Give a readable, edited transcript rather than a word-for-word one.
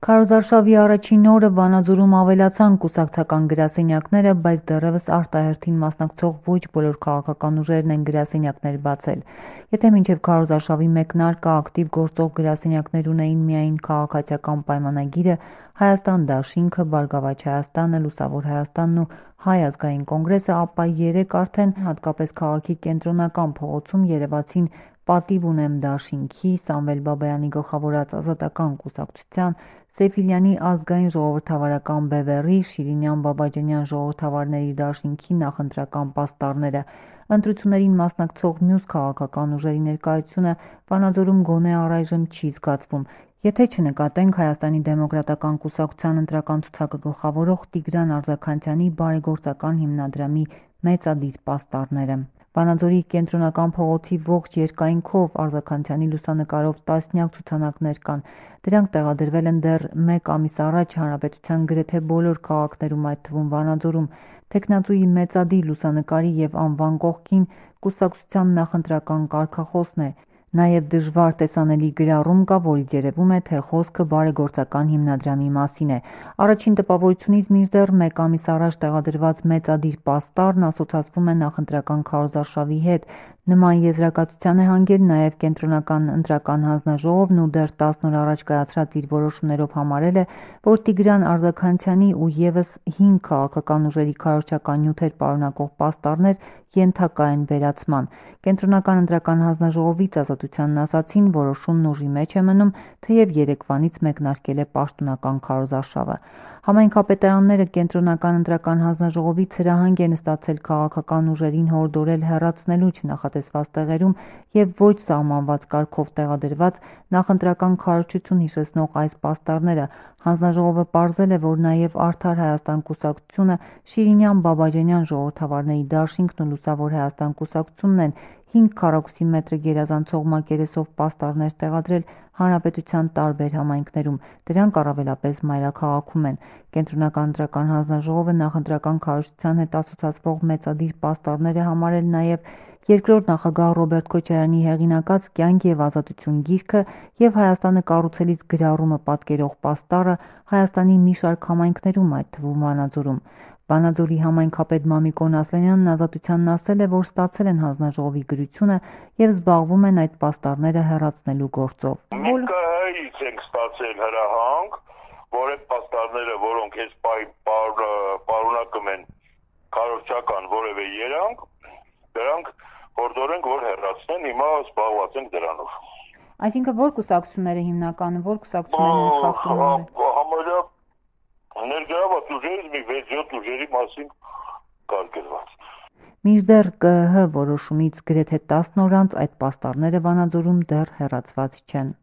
Քարոզարշավի առաջին օրը Վանաձորում ավելացան կուսակցական գրասենյակները, բայց դեռևս արտահերթին մասնակցող ոչ բոլոր քաղաքական ուժերն են գրասենյակներ բացել։ Եթե մինչև քարոզարշավի մեկնարկը ակտիվ գործող գրասենյակներ ունեին միայն քաղաքացիական պայմանագիրը, Հայաստան դաշինքը, Բարգավաճ Հայաստանը, Լուսավոր Հայաստանն ու Հայ ազգային կոնգրեսը, ապա երեկ արդեն հատկապես քաղաքի կենտրոնական փողոցում երևացին Պատիվ ունեմ դաշինքի, Սամվել Բաբայանի գլխավորած Ազատական կուսակցության, Սեֆիլյանի ազգային ժողովրդավարական բևեռի, Շիրինյան Բաբաջանյան ժողովրդավարների դաշինքի նախընտրական պաստառները։ Ընտրություններին մասնակցող մյուս քաղաքական ուժերի ներկայությունը Վանաձորում գոնե առայժմ չի զգացվում, եթե չնկատենք Հայաստանի դեմոկրատական կուսակցության ընտրական ցուցակը գլխավորող Տիգրան Արձաքանցյանի բարեգործական հիմնադրամի մեծադիր պաստառները։ Վանաձորի կենտրոնական փողոցի ողջ երկայնքով Արձաքանցյանի լուսանկարով տասնյակ ցուցանակներ կան։ Դրանք տեղադրվել են դեռ մեկ ամիս առաջ հանրապետության գրեթե բոլոր քաղաքներում, այդ թվում Վանաձորում։ Թեկնածուի մեծադիր լուսանկարի և անվան կողքին կուսակցության նախընտրական կարգախոսն է։ Նաև դժվար տեսանելի գրառում կա, որից երևում է, թե խոսքը բարեգործական հիմնադրամի մասին է։ Առաջին տպավորությունից մինչդեռ մեկ ամիս առաջ տեղադրված մեծադիր պաստառն ասոցացվում է նախընտրական քարոզարշավի հետ։ Նման եզրակացության է հանգել նաև Կենտրոնական ընտրական հանձնաժողովն ու դեռ 10 օր առաջ կայացրած իր որոշումներով համարել է, որ Տիգրան Արձաքանցյանի ու ևս 5 քաղաքական ուժերի քարոզչական նյութեր պարունակող պաստառներ ենթակա են վերացման։ Կենտրոնական ընտրական հանձնաժողովից Ազատությանն ասացին, որոշումն ուժի մեջ է մնում, թեև երեկվանից մեկնարկել է պաշտոնական քարոզարշավը։ Համայնքապետարանները Կենտրոնական ընտրական հանձնաժողովից հրահանգ են ստացել քաղաքական ուժերին հորդորել հեռացնելու չնախատեսված տեղերում և ոչ սահմանված կարգով տեղադրված նախընտրական քարոզչություն հիշեցնող այս պաստառները։ Հանձնաժողովը պարզել է, որ նաև Արդար Հայաստան կուսակցությունը, Շիրինյան Բաբաջանյան ժողովրդավարների դաշինքն ու Լուսավոր Հայաստան կուսակցությունն են 5 քառակուսի մետրը գերազանցող մակերեսով պաստառներ տեղադրել հանրապետության տարբեր համայնքներում։ Դրանք առավելապես մայրաքաղաքում են։ Կենտրոնական ընտրական հանձնաժողովը նախընտրական քարոզչության հետ ասոցացվող մեծադիր պաստառներ է համարել նաև երկրորդ նախագահ Ռոբերտ Քոչարյանի հեղինակած «Կյանք և ազատություն» գիրքը և Հայաստանը կառուցելիս գրառումը պատկերող պաստառը Հայաստանի մի շարք համայնքներում, այդ թվում Վանաձորում։ Վանաձորի համայնքապետ Մամիկոն Ասլանյանն Ազատությանն ասել է, որ ստացել են հանձնաժողովի գրությունը և զբաղվում են այդ պաստառները հեռացնելու գործով։ ՄԿՀ-ից ենք ստացել հրահանգ, որ այդ պաստառները, որոնք այս պարունակում են քարոզչական որևէ երանգ, դրանք հորդորենք, որ հեռացնեն, հիմա զբաղված ենք դրանով։ Այսինքն որ կուսակցությունները հիմնականում, որ կուսակցություններն են խախտում են։ Համարյա ներգրաված ուժերից մի 6-7 ուժերի մասին կար գրված։ Մինչդեռ ԿԸՀ որոշումից գրեթե 10 օր անց այդ պաստառները Վանաձորում դեռ հեռացված չեն։